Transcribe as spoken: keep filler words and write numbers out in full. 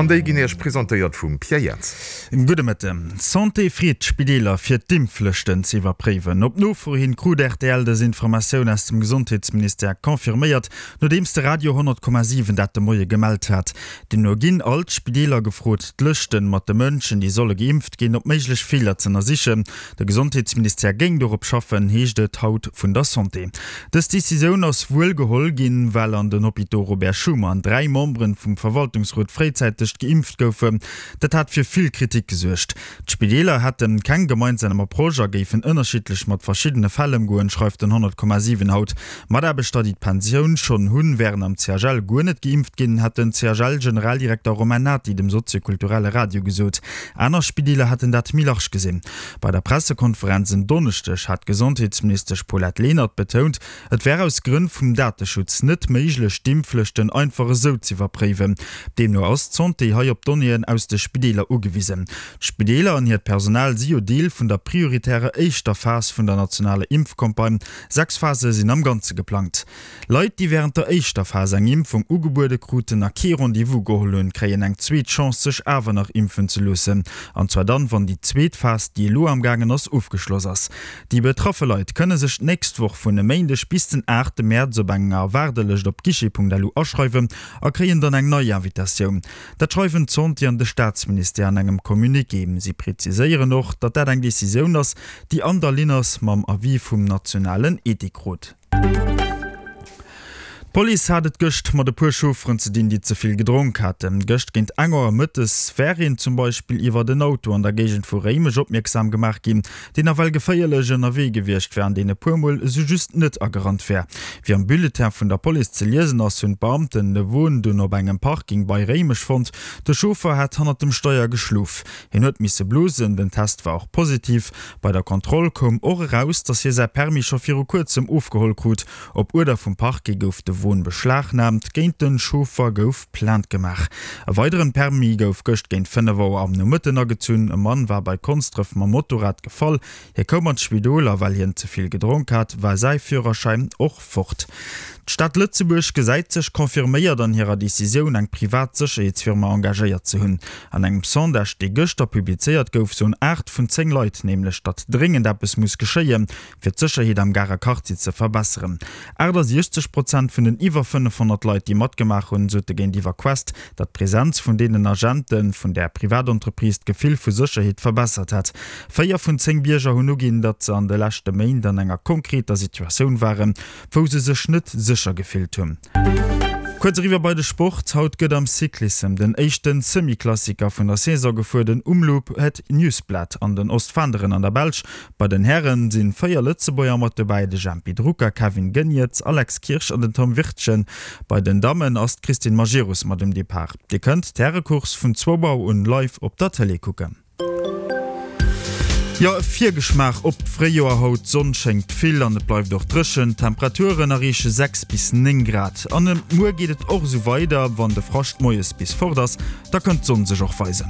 An déi ginn Iech presentéiert vum Pierre Jans. Gudde Mëtten. D'Santé freet d'Spideeler fir d'Impflëschten ze iwwerpréiwen. Op Nofro hin krut rtl dës Informatioun aus dem Gesondheetsministère confirméiert, nodeems de Radio honnert Komma siwen dat de Moie gemellt hat. Deemno ginn all d'Spideeler gefrot, d'Lëschten mat de Mënschen, déi solle geimpft ginn, op méiglech Feeler z'ënnersichen. De Gesondheetsministère géing dorop schaffen, heescht et haut vun der Santé. Dës Decisioun ass wuel geholl ginn, well an den Hôpitaux Robert Schuman dräi Memberen vum Verwaltungsrot fréizäiteg geimpft goufen. Dat hat fir vill Kritik gesuergt. D'Spideeler hätte keng gemeinsam Approche a géifen ënnerschiddlech mat verschiddene Fäll ëmgoen, schreift den honnert Komma siwen haut. Mataarbechter, déi d'Pensioun schonn hunn, wären am C H L guer net geimpft ginn, hat den C H L-Generaldirekter Romain Nati dem soziokulturelle Radio gesot. Aner Spideeler hätten dat méi large gesinn. Bei der Pressekonferenz en Donneschdeg hat d'Gesondheetsministesch Paulette Lenert betount, et wär aus Grënn vum Dateschutz net méiglech, d'Impflëschten einfach esou z'iwwerpréiwen. Deemno ass d'Santé hei op Donnéeën aus de Spideeler ugewisen. D'Spideeler an hiert Personal si jo Deel vun der prioritärer éischter Phas vun der nationaler Impfcampagne. Sechs Phase sinn am Ganze geplangt. Leit, déi wärend der éischter Phas eng Impfung ugebuede kruten a kee Rendez-vous geholl hunn, kréien eng zweet Chance, sech awer nach impfen ze loossen. An zwar dann, wann déi zweet Phas, déi elo amgaangen ass, ofgeschloss ass. Déi betraffe Leit kënne sech d'nächst Woch vun e Méindeg bis den aachte Mäerz op enger Waardelëscht op guichet punkt lu aschreiwen a kréien dann eng nei Invitatioun. Dat schreiwen d'Santé an de Staatsministère an engem Communiqué. Si preziséieren och, datt dat eng Decisioun ass, déi an der Linn ass mam Avis vum nationalen Ethikrot. D'Police hat et gëscht mat e puer Chaufferen ze dinn, déi ze vill gedronk haten. Gëscht géint eng Auer mëttes wär een zum Beispill iwwert en Auto an der Géigend vu Réimech opmierksam gemaach ginn, deen nawell geféierlech ënnerwee gewiescht wär an deen e puer Mol esou just net agerannt wär. Wéi am Bulletin vun der Police ze liesen ass, hunn d'Beamten de Won dunn op engem Parking bei Réimech fonnt. De Chauffer hat hannert dem Steier geschlof. Hien huet misse blosen, den Test war och positiv. Bei der Kontroll koum och eraus, datt hie säi Permis scho viru kuerzem ofgeholl krut. Op Uerder vum Parquet gouf de Won beschlagnaamt, géint de Chauffer gouf Plainte gemaach. E weideren Permis gouf gëscht géint fënnef Auer am Nomëtten agezunn. E Mann war bei Konsdref mam Motorrad gefall. Hie koum an d'Spidol a well hien ze vill gedronk hat, war säi Führerschäin och fort. D'Stad Lëtzebuerg gesäit sech confirméiert an hirer Decisioun, eng privat Sécherheetsfirma engagéiert ze hunn. An engem Sondage, dee gëschter publizéiert gouf, soen aacht vun zéng Leit nämlech, datt dréngend eppes muss geschéien, fir d'Sécherheet am Garer Quartier ze verbesseren. achtasiechzeg Prozent vun den iwwer fënnefhonnert Leit, déi matgemaach hunn, sote géintiwwer Quest, datt d'Presenz vun deenen Agente vun där Privatentreprise d'Gefill vu Sécherheet verbessert hätt. Véier vun zéng Bierger hunn uginn, datt se an de leschte Méint an enger konkreter Situatioun waren, wou se sech net sécher gefillt hunn. Kuerz eriwwer bei de Sport, Haut gëtt am Cyclissem den éischte Semi-Klassiker vun der Saison gefuer, den Omloop Het Nieuwsblad an den Ostflanderen an der Belsch. Bei den Hären si véier Lëtzebuerger mat dobäi, de Jempy Drucker, Kevin Geniets, Alex Kirsch an den Tom Wirtgen. Bei den Dammen ass d'Christine Majerus mat um Depart. Dir kënnt d'Härecourse vun zwou Auer un live op der Tëlee kucken. Jo, e Virgeschmaach op d'Fréijoer haut, D'Sonn schéngt vill an et bleift och dréchen. D'Temperaturen erreeche sechs bis néng Grad. An muer geet et och esou weider, wann de Frascht moies bis fort ass, da kënnt d'Sonn sech och weisen.